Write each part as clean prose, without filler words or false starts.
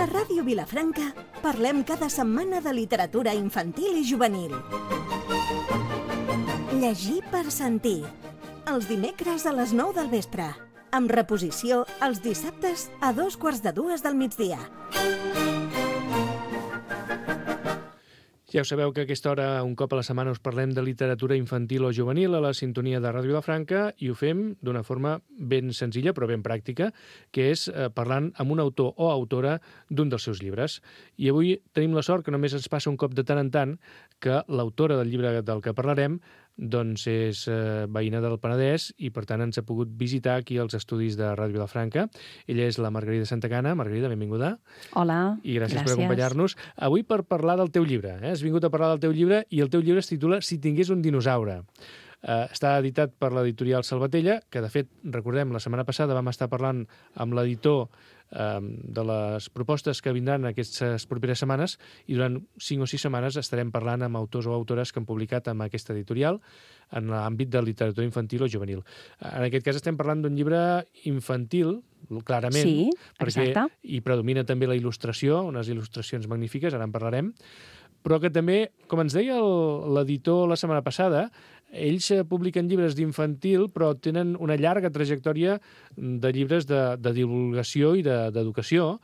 A Ràdio Vilafranca parlem cada setmana de literatura infantil i juvenil. Llegir per sentir. Els dimecres a les 9 del vespre. Amb reposició els dissabtes a 2:45 del migdia. Ja ho sabeu que a aquesta hora, un cop a la setmana, us parlem de literatura infantil o juvenil a la sintonia de Ràdio Vilafranca i ho fem d'una forma ben senzilla però ben pràctica, que és parlant amb un autor o autora d'un dels seus llibres. I avui tenim la sort que només ens passa un cop de tant en tant que l'autora del llibre del que parlarem doncs és veïna del Penedès i per tant ens ha pogut visitar aquí als estudis de Ràdio Vilafranca. Ella és la Margarida Santacana. Margarida, benvinguda. Hola, I gràcies per acompanyar-nos. Avui per parlar del teu llibre. Has vingut a parlar del teu llibre i el teu llibre es titula Si tingués un dinosaure. Està editat per l'editorial Salvatella, que de fet, recordem, la setmana passada vam estar parlant amb l'editor de les propostes que vindran aquestes properes setmanes i durant 5 o 6 setmanes estarem parlant amb autors o autores que han publicat amb aquesta editorial en l'àmbit de literatura infantil o juvenil. En aquest cas estem parlant d'un llibre infantil, clarament, sí, perquè hi predomina també la il·lustració, unes il·lustracions magnífiques, ara en parlarem, però que també, com ens deia l'editor la setmana passada, ells publiquen llibres d'infantil, però tenen una llarga trajectòria de llibres de divulgació i d'educació,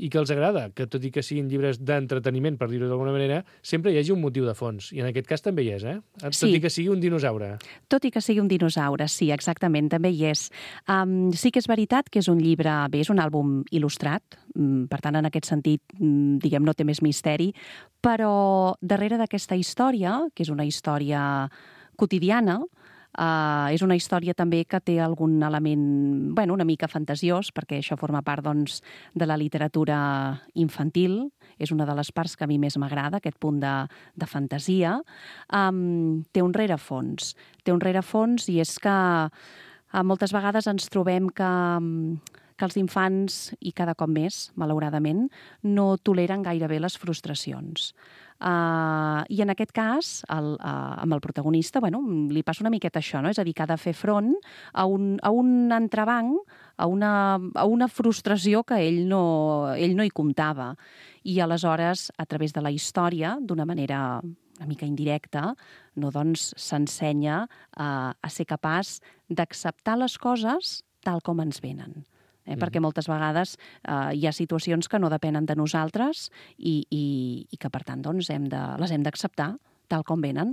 i que els agrada, que tot i que siguin llibres d'entreteniment, per dir-ho d'alguna manera, sempre hi hagi un motiu de fons. I en aquest cas també hi és, Tot i que sigui un dinosaure. Tot i que sigui un dinosaure, sí, exactament, també hi és. Sí que és veritat que és un llibre, bé, és un àlbum il·lustrat, per tant, en aquest sentit, diguem, no té més misteri, però darrere d'aquesta història, que és una història quotidiana, és una història també que té algun element, bueno, una mica fantasiós, perquè això forma part, doncs, de la literatura infantil. És una de les parts que a mi més m'agrada, aquest punt de fantasia. Té un rerefons. Té un rerefons i és que moltes vegades ens trobem que els infants, i cada cop més, malauradament, no toleren gairebé les frustracions. I en aquest cas, amb el protagonista, bueno, li passa una miqueta això, no? És a dir, que ha de fer front a un entrebanc, a una frustració que ell no hi comptava. I aleshores, a través de la història, d'una manera una mica indirecta, no, doncs s'ensenya a ser capaç d'acceptar les coses tal com ens venen. Perquè moltes vegades hi ha situacions que no depenen de nosaltres i que, per tant, doncs, les hem d'acceptar tal com venen.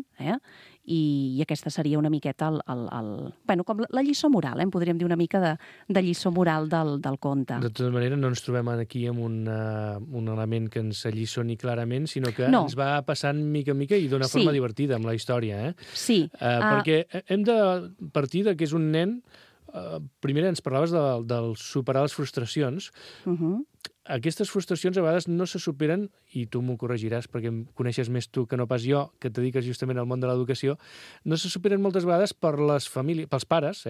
I aquesta seria una miqueta com la lliçó moral, podríem dir una mica de lliçó moral del conte. De tota manera, no ens trobem aquí amb un element que ens alliçoni clarament, sinó que ens va passant mica en mica i d'una forma divertida amb la història. Sí. Perquè hem de partir que és un nen. Primer ens parlaves del superar les frustracions. Aquestes frustracions a vegades no se superen, i tu m'ho corregiràs perquè em coneixes més tu que no pas jo, que et dediques justament al món de l'educació, no se superen moltes vegades per les famílies, pels pares,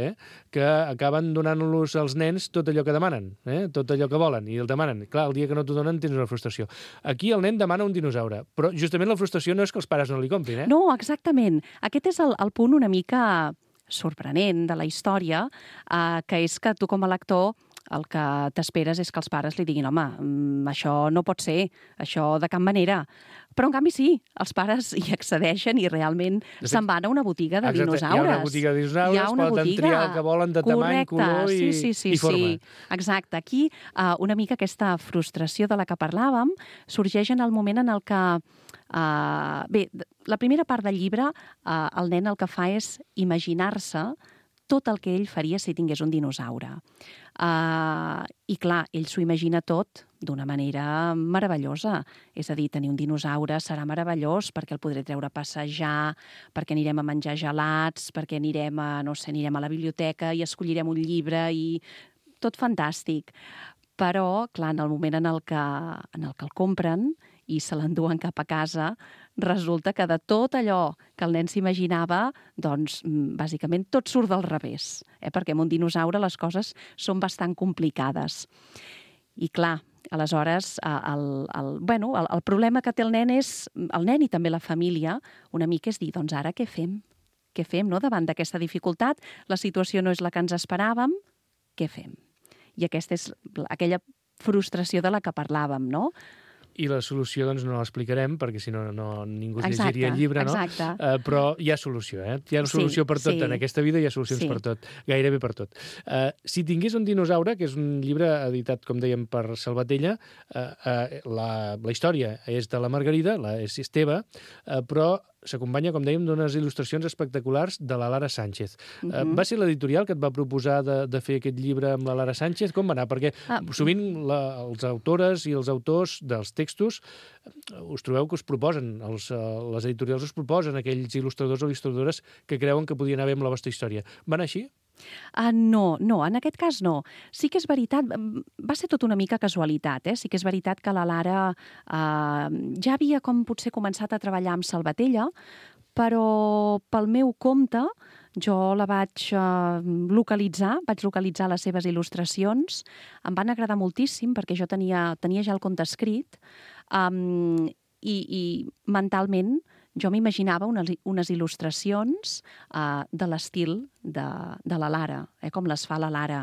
que acaben donant-los als nens tot allò que demanen, tot allò que volen, i el demanen. Clar, el dia que no t'ho donen tens una frustració. Aquí el nen demana un dinosaure, però justament la frustració no és que els pares no li comprin. No, exactament. Aquest és el punt una mica sorprenent de la història, que és que tu com a lector el que t'esperes és que els pares li diguin home, això no pot ser, això de cap manera. Però, en canvi, sí, els pares hi accedeixen i realment se'n van a una botiga de dinosaures. Hi ha una botiga de dinosaures, poden triar el que volen de tamany, color i forma. Sí, exacte. Aquí, una mica aquesta frustració de la que parlàvem sorgeix en el moment en el que bé, la primera part del llibre, el nen el que fa és imaginar-se tot el que ell faria si tingués un dinosaure. I clar, ell s'ho imagina tot d'una manera meravellosa. És a dir, tenir un dinosaure serà meravellós perquè el podré treure a passejar, perquè anirem a menjar gelats, perquè anirem a la biblioteca i escollirem un llibre i tot fantàstic. Però, clar, en el moment en el que el compren i se l'enduen cap a casa, resulta que de tot allò que el nen s'imaginava, doncs, bàsicament tot surt del revés, perquè amb un dinosaure les coses són bastant complicades. I clar, aleshores, el problema que té el nen i també la família, una mica és dir, doncs ara què fem? Què fem, no? Davant d'aquesta dificultat, la situació no és la que ens esperàvem, què fem? I aquesta és aquella frustració de la que parlàvem, no? I la solució, doncs, no l'explicarem, perquè si no, ningú es llegiria el llibre, no? Exacte. Però hi ha solució, eh? Hi ha solució per tot. En aquesta vida hi ha solucions per tot, gairebé per tot. Si tingués un dinosaure, que és un llibre editat, com dèiem, per Salvatella, la història és de la Margarida, és Esteve, però s'acompanya, com dèiem, d'unes il·lustracions espectaculars de la Lara Sánchez. Va ser l'editorial que et va proposar de fer aquest llibre amb la Lara Sánchez? Com va anar? Perquè sovint els autores i els autors dels textos us trobeu que us proposen, les editorials us proposen aquells il·lustradors o il·lustradores que creuen que podien anar bé amb la vostra història. Va anar així? No, en aquest cas no. Sí que és veritat, va ser tot una mica casualitat, sí que és veritat que la Lara ja havia com potser començat a treballar amb Salvatella, però pel meu compte jo la vaig localitzar les seves il·lustracions, em van agradar moltíssim perquè jo tenia ja el conte escrit i mentalment jo m'imaginava unes il·lustracions de l'estil de la Lara, com les fa la Lara.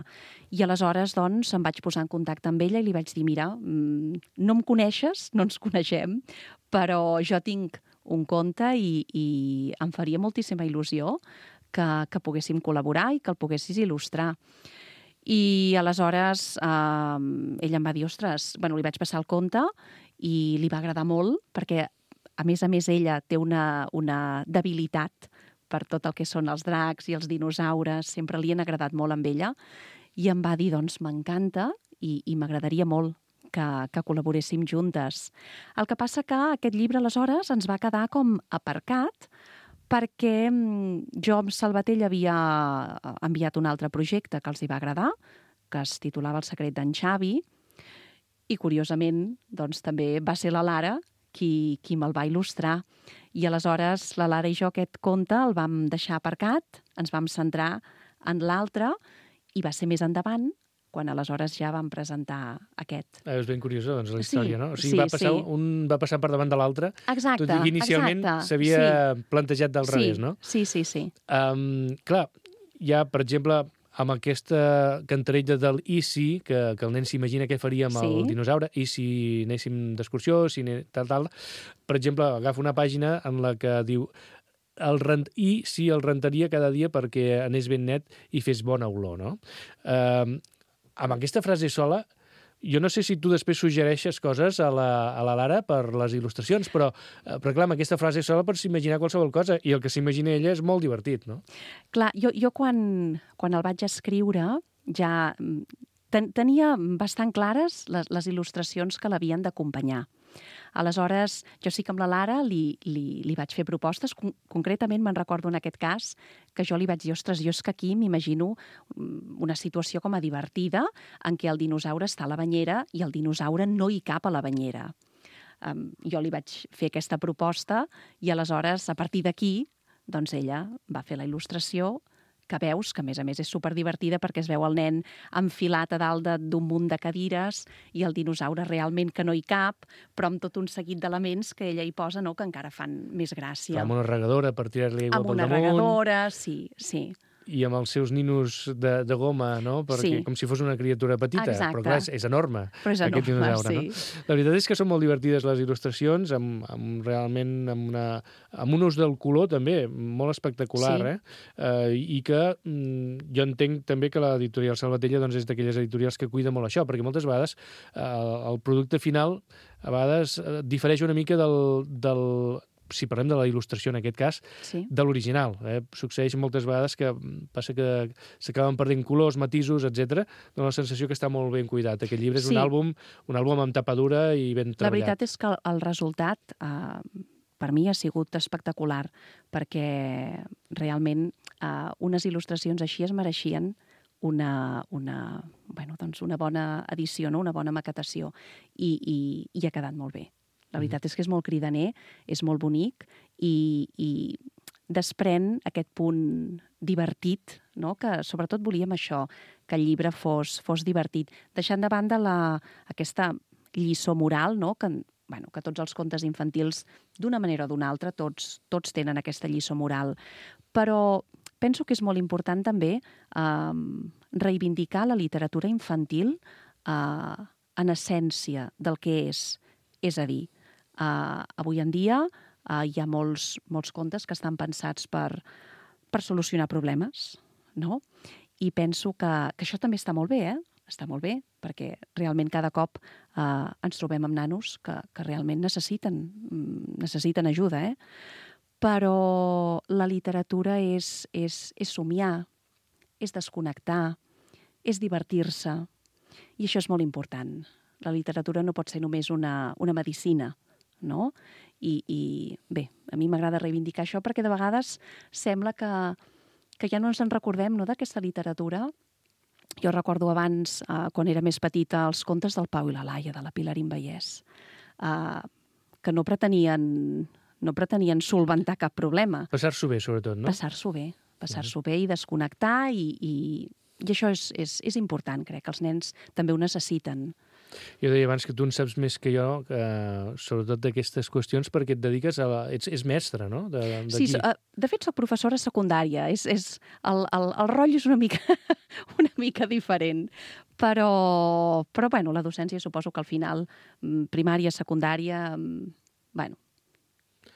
I aleshores, doncs, em vaig posar en contacte amb ella i li vaig dir, mira, no em coneixes, no ens coneixem, però jo tinc un conte i em faria moltíssima il·lusió que poguéssim col·laborar i que el poguessis il·lustrar. I aleshores ella em va dir, ostres, li vaig passar el conte i li va agradar molt perquè a més, ella té una debilitat per tot el que són els dracs i els dinosaures. Sempre li han agradat molt amb ella. I em va dir, doncs, m'encanta i m'agradaria molt que col·laboréssim juntes. El que passa que aquest llibre, aleshores, ens va quedar com aparcat perquè jo amb Salvatella havia enviat un altre projecte que els hi va agradar, que es titulava El secret d'en Xavi, i curiosament, doncs, també va ser la Lara qui me'l va il·lustrar. I aleshores la Lara i jo aquest conte el vam deixar aparcat, ens vam centrar en l'altre i va ser més endavant quan aleshores ja vam presentar aquest. És ben curiosa, doncs, la història, no? O sigui, un va passar per davant de l'altre, tot i que inicialment s'havia plantejat del revés, no? Sí. Clar, hi ha, per exemple, amb aquesta cantarella del i si, que el nen s'imagina què faria amb el dinosaure, i si anéssim d'excursió, tal. Per exemple, agafa una pàgina en la que diu i si el rentaria cada dia perquè anés ben net i fes bona olor, no? Amb aquesta frase sola, jo no sé si tu després suggereixes coses a la Lara per les il·lustracions, però clar, amb aquesta frase sola pots imaginar qualsevol cosa, i el que s'imagina ella és molt divertit, no? Clar, jo quan el vaig escriure ja tenia bastant clares les il·lustracions que l'havien d'acompanyar. Aleshores, jo sí que amb la Lara li vaig fer propostes. Concretament me'n recordo en aquest cas que jo li vaig dir, ostres, jo és que aquí m'imagino una situació com a divertida en què el dinosaure està a la banyera i el dinosaure no hi cap a la banyera. Jo li vaig fer aquesta proposta i aleshores, a partir d'aquí, doncs ella va fer la il·lustració que veus, que a més és superdivertida perquè es veu el nen enfilat a dalt d'un munt de cadires i el dinosaure realment que no hi cap, però amb tot un seguit d'elements que ella hi posa, no?, que encara fan més gràcia. Amb una regadora per tirar-li aigua pel damunt. Amb una regadora, sí. I amb els seus ninos de goma, no? Perquè, com si fos una criatura petita. Exacte. Però clar, és enorme, aquest dinosaure, no? La veritat és que són molt divertides les il·lustracions, realment amb un ús del color també molt espectacular, i que jo entenc també que l'editorial Salvatella és d'aquelles editorials que cuida molt això, perquè moltes vegades el producte final a vegades difereix una mica del si parlem de la il·lustració en aquest cas, de l'original. Succeeix moltes vegades que passa que s'acaben perdent colors, matisos, etc. Dóna la sensació que està molt ben cuidat. Aquest llibre és un àlbum amb tapadura i ben treballat. La veritat és que el resultat per mi ha sigut espectacular, perquè realment unes il·lustracions així es mereixien una bona edició, una bona maquetació, i ha quedat molt bé. La veritat és que és molt cridaner, és molt bonic i desprèn aquest punt divertit, no?, que sobretot volíem això, que el llibre fos divertit, deixant de banda aquesta lliçó moral, no?, que tots els contes infantils, d'una manera o d'una altra, tots tenen aquesta lliçó moral. Però penso que és molt important també reivindicar la literatura infantil en essència del que és. És a dir, avui en dia hi ha molts contes que estan pensats per solucionar problemes, no? I penso que això també està molt bé, Està molt bé, perquè realment cada cop ens trobem amb nanos que realment necessiten ajuda, Però la literatura és somiar, és desconnectar, és divertir-se, i això és molt important. La literatura no pot ser només una medicina, no? I bé, a mi m'agrada reivindicar això perquè de vegades sembla que ja no ens en recordem, no, d'aquesta literatura. Jo recordo abans, quan era més petita, els contes del Pau i la Laia, de la Pilarín Vallès, que no pretenien solventar cap problema. Passar-s'ho bé, sobretot, no? Passar-s'ho bé i desconnectar, i això és important, crec, que els nens també ho necessiten. Jo deia abans que tu en saps més que jo, sobretot d'aquestes qüestions, perquè et dediques ets mestre, no? Sí, de fet, soc professora secundària. El rol és una mica diferent. Però bueno, la docència suposo que al final, primària, secundària, bueno.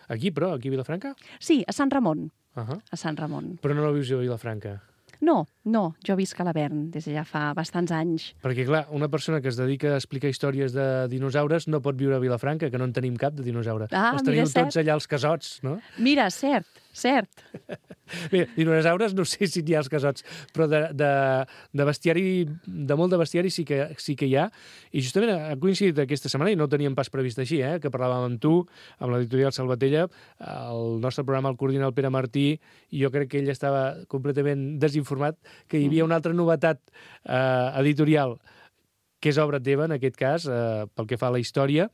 Aquí, però? Aquí a Vilafranca? Sí, a Sant Ramon. A Sant Ramon. Però no la vius a Vilafranca? No, jo visc a Lavern des de ja fa bastants anys. Perquè, clar, una persona que es dedica a explicar històries de dinosaures no pot viure a Vilafranca, que no en tenim cap de dinosaure. Els teniu tots allà als casots, no? Mira, cert. Bé, dinosaures no sé si n'hi ha als casots, però de bestiari, de molt de bestiari sí que hi ha. I justament ha coincidit aquesta setmana, i no ho teníem pas previst així, que parlàvem amb tu, amb l'editorial Salvatella, el nostre programa el coordina el Pere Martí, i jo crec que ell estava completament desinformat que hi havia una altra novetat editorial que és obra teva, en aquest cas, pel que fa a la història,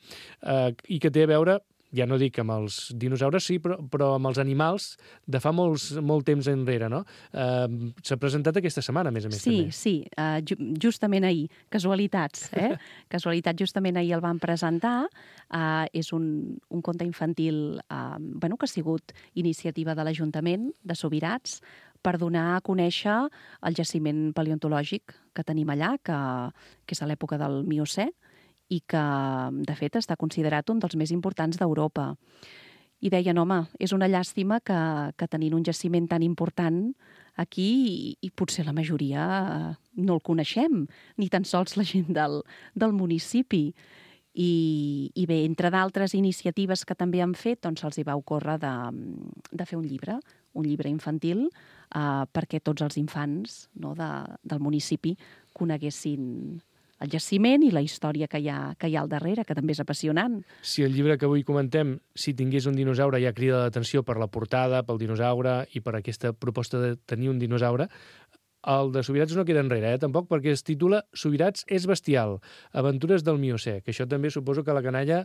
i que té a veure, ja no dic amb els dinosaures, sí, però amb els animals de fa molt temps enrere, no? S'ha presentat aquesta setmana, a més també. Sí, justament ahir. Casualitats, Casualitat, justament ahir el van presentar. És un conte infantil que ha sigut iniciativa de l'Ajuntament de Subirats per donar a conèixer el jaciment paleontològic que tenim allà, que és a l'època del Miocè, i que, de fet, està considerat un dels més importants d'Europa. I deien, home, és una llàstima que tenint un jaciment tan important aquí, i potser la majoria no el coneixem, ni tan sols la gent del municipi. I bé, entre d'altres iniciatives que també han fet, doncs se'ls hi va ocórrer de fer un llibre infantil, perquè tots els infants, no, del municipi coneguessin el jaciment i la història que hi ha al darrere, que també és apassionant. Si el llibre que avui comentem, si tingués un dinosaure, ja crida l'atenció per la portada, pel dinosaure i per aquesta proposta de tenir un dinosaure, el de Subirats no queda enrere, tampoc, perquè es titula Subirats és bestial, aventures del Miocè, que això també suposo que la canalla,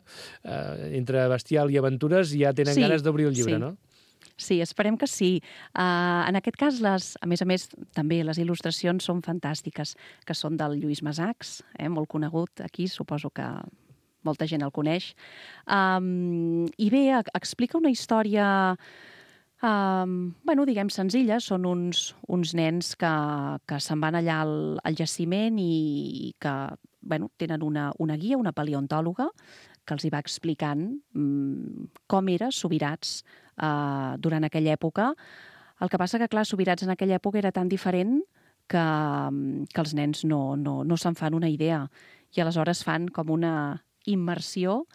entre bestial i aventures, ja tenen ganes d'obrir el llibre, no? Sí, esperem que sí. En aquest cas, a més, també les il·lustracions són fantàstiques, que són del Lluís Masachs, molt conegut aquí, suposo que molta gent el coneix. I bé, explica una història, diguem senzilla. Són uns nens que se'n van allà al jaciment i que tenen una guia, una paleontòloga, que els hi va explicant com era Subirats durant aquella època. El que passa que, clar, Subirats en aquella època era tan diferent que els nens no se'n fan una idea. I aleshores fan com una immersió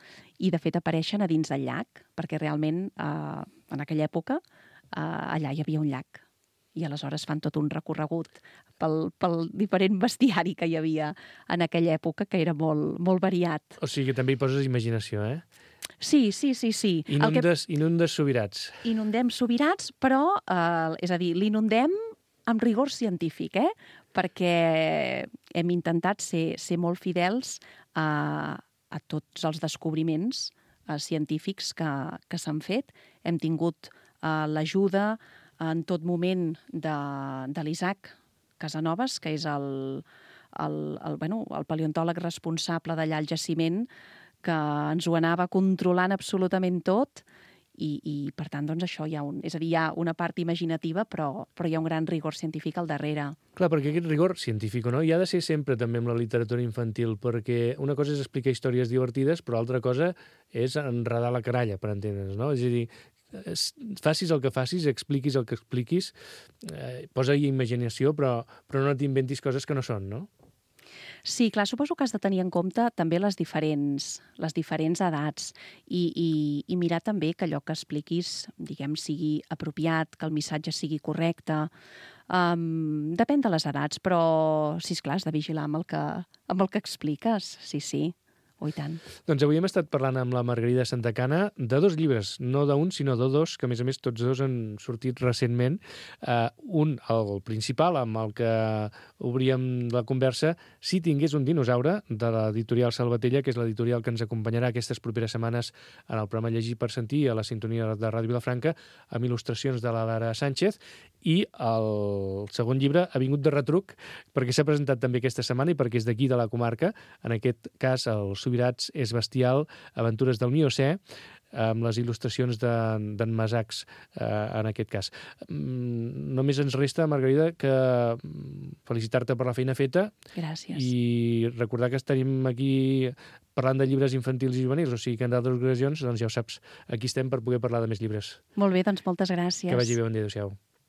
i, de fet, apareixen a dins del llac, perquè realment en aquella època allà hi havia un llac. I aleshores fan tot un recorregut pel diferent bestiari que hi havia en aquella època, que era molt variat. O sigui que també hi poses imaginació, Sí. Inundes Subirats. Inundem Subirats, però, és a dir, l'inundem amb rigor científic, perquè hem intentat ser molt fidels a tots els descobriments científics que s'han fet. Hem tingut l'ajuda en tot moment de l'Isaac Casanovas, que és el paleontòleg responsable d'allà al jaciment, que ens ho anava controlant absolutament tot, i per tant, doncs això hi ha hi ha una part imaginativa, però hi ha un gran rigor científic al darrere. Clar, perquè aquest rigor científic o no hi ha de ser sempre també amb la literatura infantil, perquè una cosa és explicar històries divertides, però altra cosa és enredar la caralla, per entendre's, no? És a dir, facis el que facis, expliquis el que expliquis, posa-hi imaginació, però no t'inventis coses que no són, no? Sí, clar, suposo que has de tenir en compte també les diferents edats i mirar també que allò que expliquis, diguem, sigui apropiat, que el missatge sigui correcte. Depèn de les edats, però, sí, esclar, has de vigilar amb el que expliques, sí. Oh, i tant. Doncs avui hem estat parlant amb la Margarida Santacana de 2 llibres, no d'un, sinó de 2, que a més tots 2 han sortit recentment. Un, el principal, amb el que obríem la conversa, Si tingués un dinosaure, de l'editorial Salvatella, que és l'editorial que ens acompanyarà aquestes properes setmanes en el programa Llegir per Sentir a la sintonia de Ràdio Vilafranca, amb il·lustracions de la Lara Sánchez, i el segon llibre ha vingut de retruc perquè s'ha presentat també aquesta setmana i perquè és d'aquí de la comarca, en aquest cas el Subirats és bestial, aventures del Miocè, amb les il·lustracions d'en Masacs, en aquest cas. Només ens resta, Margarida, que felicitar-te per la feina feta. Gràcies. I recordar que estaríem aquí parlant de llibres infantils i juvenils, o sigui que en d'altres ocasions, doncs ja ho saps, aquí estem per poder parlar de més llibres. Molt bé, doncs moltes gràcies. Que vagi bé, bon dia, adéu-siau.